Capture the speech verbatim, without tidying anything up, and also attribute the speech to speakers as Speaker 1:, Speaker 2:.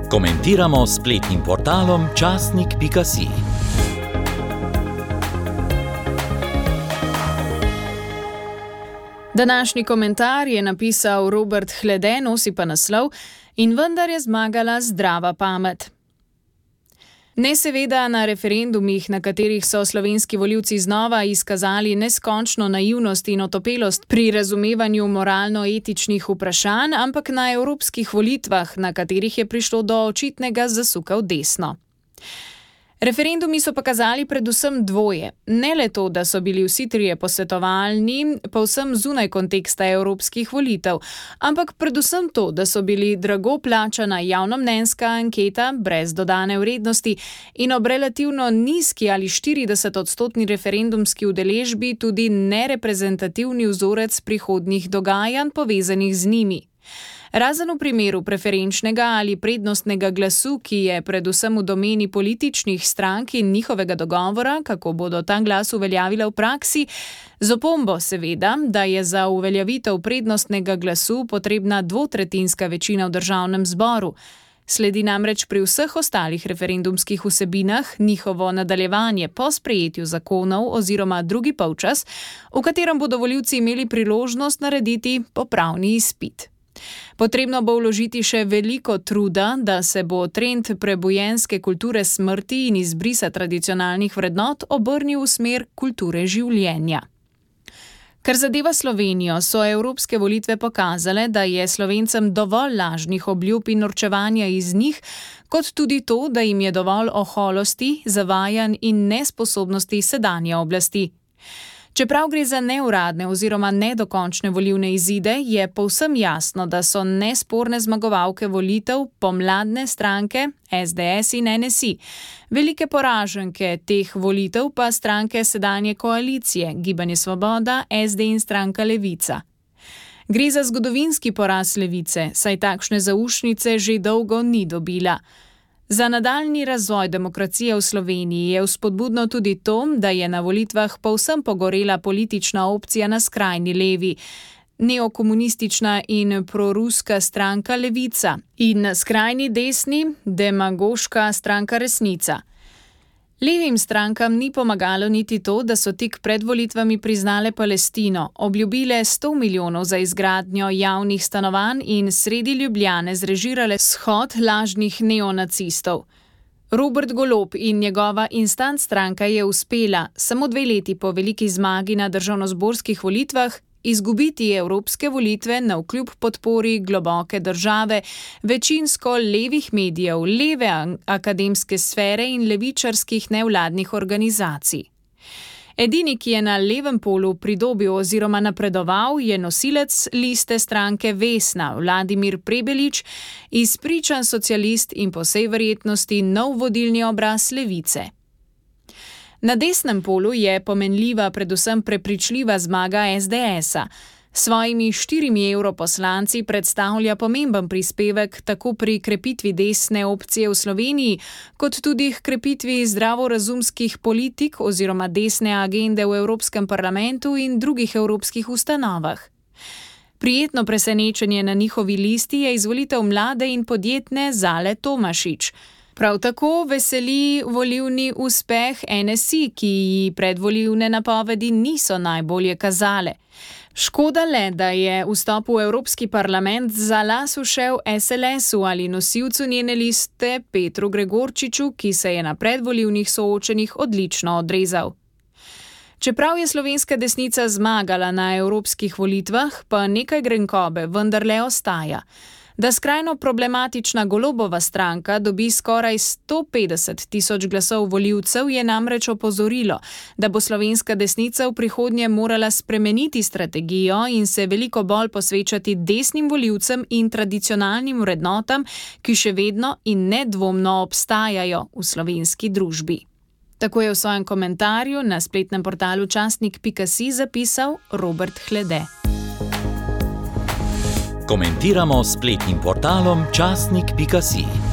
Speaker 1: Komentiramo s spletnim portalom časnik pika si.
Speaker 2: Današnji komentar je napisal Robert Hlede, nosi pa naslov In vendar je zmagala zdrava pamet. Ne seveda na referendumih, na katerih so slovenski volivci znova izkazali neskončno naivnost in otopelost pri razumevanju moralno-etičnih vprašanj, ampak na evropskih volitvah, na katerih je prišlo do očitnega zasuka v desno. Referendumi so pokazali predvsem dvoje. Ne le to, da so bili vsi trije posvetovalni, povsem zunaj konteksta evropskih volitev, ampak predvsem to, da so bili drago plačana javnomnenjska anketa brez dodane vrednosti in ob relativno nizki ali štiridesetodstotni referendumski udeležbi tudi nereprezentativni vzorec prihodnjih dogajanj povezanih z njimi. Razen v primeru preferenčnega ali prednostnega glasu, ki je predvsem v domeni političnih strank in njihovega dogovora, kako bodo ta glas uveljavile v praksi, z opombo seveda, da je za uveljavitev prednostnega glasu potrebna dvotretjinska večina v državnem zboru. Sledi namreč pri vseh ostalih referendumskih vsebinah njihovo nadaljevanje po sprejetju zakonov oziroma drugi polčas, v katerem bodo volivci imeli priložnost narediti popravni izpit. Potrebno bo vložiti še veliko truda, da se bo trend prebujenske kulture smrti in izbrisa tradicionalnih vrednot obrnil v smer kulture življenja. Kar zadeva Slovenijo, so evropske volitve pokazale, da je Slovencem dovolj lažnih obljub in norčevanja iz njih, kot tudi to, da jim je dovolj oholosti, zavajanj in nesposobnosti sedanje oblasti. Čeprav gre za neuradne oziroma nedokončne volilne izide, je povsem jasno, da so nesporne zmagovalke volitev pomladne stranke es de es in en es i, velike poraženke teh volitev pa stranke sedanje koalicije, Gibanje Svoboda, es de in stranka Levica. Gre za zgodovinski poraz Levice, saj takšne zaušnice že dolgo ni dobila. Za nadaljnji razvoj demokracije v Sloveniji je vzpodbudno tudi to, da je na volitvah povsem pogorela politična opcija na skrajni levi, neokomunistična in proruska stranka Levica in na skrajni desni demagoška stranka Resnica. Levim strankam ni pomagalo niti to, da so tik pred volitvami priznale Palestino, obljubile sto milijonov za izgradnjo javnih stanovanj in sredi Ljubljane zrežirale shod lažnih neonacistov. Robert Golob in njegova instant stranka je uspela, samo dve leti po veliki zmagi na državnozborskih volitvah, izgubiti evropske volitve navkljub podpori globoke države, večinsko levih medijev, leve akademske sfere in levičarskih nevladnih organizacij. Edini, ki je na levem polu pridobil oziroma napredoval, je nosilec liste stranke Vesna, Vladimir Prebelič, izpričan socialist in po vsej verjetnosti nov vodilni obraz Levice. Na desnem polu je pomenljiva predvsem prepričljiva zmaga es de esa. S svojimi štirimi evroposlanci predstavlja pomemben prispevek tako pri krepitvi desne opcije v Sloveniji, kot tudi k krepitvi zdravorazumskih politik oziroma desne agende v Evropskem parlamentu in drugih evropskih ustanovah. Prijetno presenečenje na njihovi listi je izvolitev mlade in podjetne Zale Tomašič. Prav tako veseli volilni uspeh en es i, ki ji predvolilne napovedi niso najbolje kazale. Škoda le, da je vstop v Evropski parlament za las ušel es el esu ali nosilcu njene liste Petru Gregorčiču, ki se je na predvolilnih soočenjih odlično odrezal. Čeprav je slovenska desnica zmagala na evropskih volitvah, pa nekaj grenkobe vendarle ostaja. Da skrajno problematična Golobova stranka dobi skoraj sto petdeset tisoč glasov volivcev, je namreč opozorilo, da bo slovenska desnica v prihodnje morala spremeniti strategijo in se veliko bolj posvečati desnim volivcem in tradicionalnim vrednotam, ki še vedno in nedvomno obstajajo v slovenski družbi. Tako je v svojem komentarju na spletnem portalu časnik pika si zapisal Robert Hlede.
Speaker 1: Komentiramo s spletnim portalom časnik pika si.